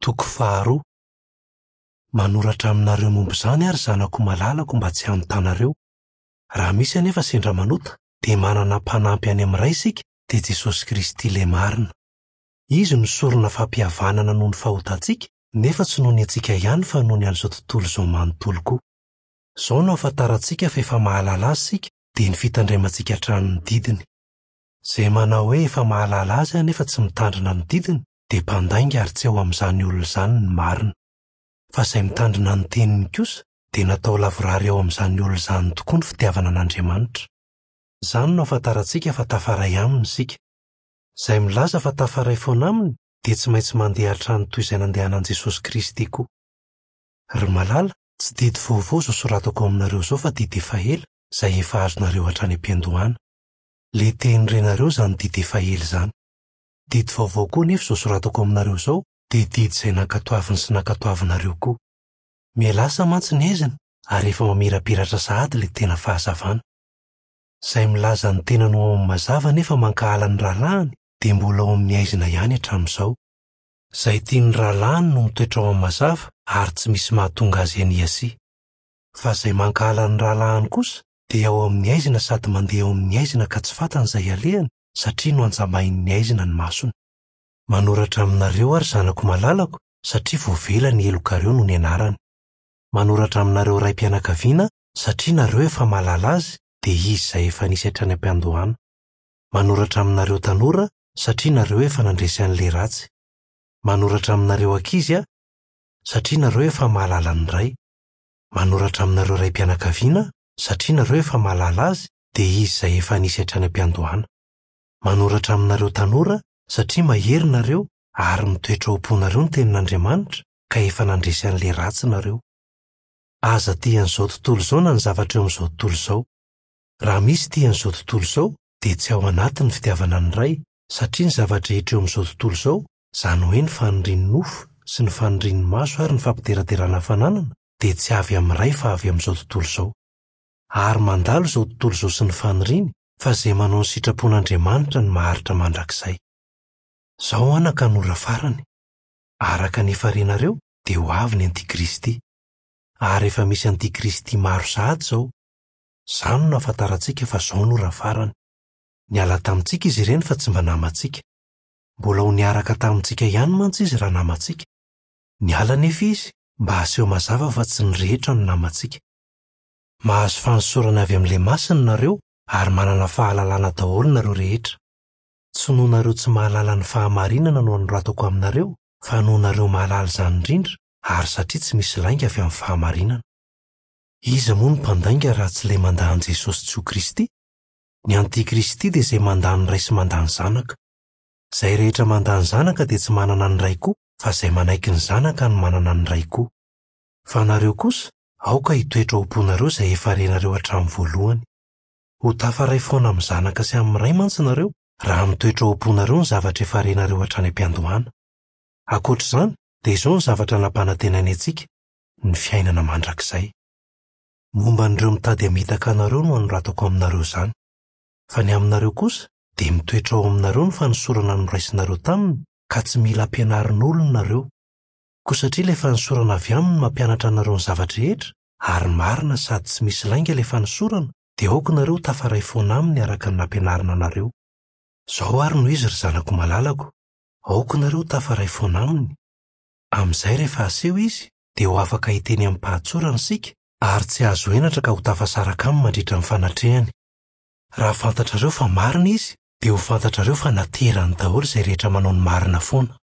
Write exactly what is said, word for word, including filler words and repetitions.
Toko faharoa. Manoratra aminareo momba izany ary zanako malalako mba tsy hanotanareo. Raha misy anefa sendra manota, dia manana mpanampy any amin'ny Ray isika, dia Jesosy Kristy ilay marina. Izy no sorona fampihavanana noho ny fahotantsika, nefa tsy noho ny antsika ihany fa noho ny an'izao tontolo izao manontolo koa. Izao no ahafantarantsika fa efa mahalala azy isika, dia ny fitandremantsika hatrany ny didiny. Izay manao hoe efa mahalala azy anefa tsy mitandrina ny didiny, dia mpandainga ary tsy ao amin'izany olona izany ny marina. Fa izay mitandrina ny teniny kosa, dia natao lavorary ao amin'izany olona izany tokoa ny fitiavana an'Andriamanitra. Izany no ahafantarantsika fa tafaray aminy isika. Izay milaza fa tafaray foana aminy, dia tsy maintsy mandeha hatrany toy izay nandehanan'i Jesosy Kristy koa. Ry malala, tsy didy vaovao izao soratako aminareo izao fa didy efa ela, izay efa azonareo hatrany am-piandohana. Ilay teny renareo izany didy efa ela izany. Didy vaovao koa nefa izao soratako aminareo izao, dia didy izay nankatoaviny sy nankatoavinareo koa. Mihalasa mantsy ny aizina ary efa mamirapiratra sahady ilay tena fahazavana. Izay milaza ny tenany ho ao amin'ny mazava nefa mankahala ny rahalahiny, dia mbola ao amin'ny aizina ihany hatramin'izao. Izay tia ny rahalahiny no mitoetra ao amin'ny mazava ary tsy misy mahatonga azy haniasia. Fa izay mankahala ny rahalahiny kosa dia ao amin'ny aizina sady mandeha ao amin'ny aizina ka tsy fantany izay alehany satria nohanjambain'ny aizina ny masony. Manoratra aminareo ary zanako malalako satria voavela ny helokareo noho ny anarany. Manoratra aminareo raim-pianakaviana satria nareo efa mahalala azy, dia izy izay efa nisy hatrany am-piandohana. Manoratra aminareo tanora satria nareo efa nandresy an'ilay ratsy. Manoratra aminareo ankizy aho satria nareo efa mahalala ny Ray. Manoratra aminareo raim-pianakaviana satria nareo efa mahalala azy, dia izy izay efa nisy hatrany am-piandohana. Manoratra aminareo tanora satria mahery nareo ary mitoetra ao am-ponareo ny tenin'Andriamanitra ka efa nandresy an'ilay ratsy nareo. Aza tia an'izao tontolo izao na ny zavatra eo amin'izao tontolo izao. Raha misy tia an'izao tontolo izao, dia tsy ao anaty ny fitiavana ny Ray, satria ny zava-drehetra eo amin'izao tontolo izao, izany hoe ny fanirian'ny nofo sy ny fanirian'ny maso ary ny fampideraderana fananana, dia tsy avy amin'ny Ray fa avy amin'izao tontolo izao. Ary mandalo izao tontolo izao sy ny faniriany, fa izay manao ny sitrapon'Andriamanitra no maharitra mandrakizay. Izao anaka no ora farany. Araka ny efa renareo, dia ho avy ny antikristy. Ary efa misy antikristy maro sahady izao. Izany no ahafantarantsika fa izao no ora farany. Niala tamintsika izy ireny fa tsy mba namantsika. Mbola ho niaraka tamintsika ihany mantsy izy raha namantsika. Niala anefa izy mba haseho mazava fa tsy ny rehetra no namantsika. Mahazo fanosorana avy amin'ilay masina nareo ary manana fahalalana daholo nareo rehetra. Tsy noho nareo tsy mahalala ny fahamarinana no anoratako aminareo, fa noho nareo mahalala izany indrindra ary satria tsy misy lainga avy amin'ny fahamarinana. Iza moa no mpandainga raha tsy ilay mandà an'i Jesosy tsy ho Kristy? Ny antikristy dia izay mandà ny Ray sy mandà ny Zanaka. Izay rehetra mandà ny Zanaka dia tsy manana ny Ray koa, fa izay manaiky ny Zanaka no manana ny Ray koa. Fa nareo kosa, aoka hitoetra ao am-ponareo izay efa renareo hatramin'ny voalohany. Ho tafaray foana amin'ny Zanaka sy amin'ny Ray mantsy nareo, raha mitoetra ao am-ponareo ny zavatra efa renareo hatrany am-piandohana. Ankoatra izany, dia izao ny zavatra nampanantenainy antsika, ny fiainana mandrakizay. Momba an'ireo mitady hamitaka anareo no anoratako aminareo izany. Fa ny aminareo kosa, dia mitoetra ao aminareo ny fanosorana noraisinareo taminy, ka tsy mila ampianarin'olona nareo. Koa satria ilay fanosorana avy aminy mampianatra anareo ny zava-drehetra, ary marina sady tsy misy lainga ilay fanosorana, dia aoka nareo tafaray foana aminy araka ny nampianarina anareo. Izao ary no izy ry zanako malalako, aoka nareo tafaray foana aminy. Amin'izay rehefa aseho izy, dia ho afaka hiteny amim-pahatsorana isika, ary tsy azo henatra ka ho tafasaraka aminy mandritra ny fanatrehany. Raha fantatrareo fa marina izy, dia ho fantatrareo fa naterany daholo izay rehetra manao ny marina foana.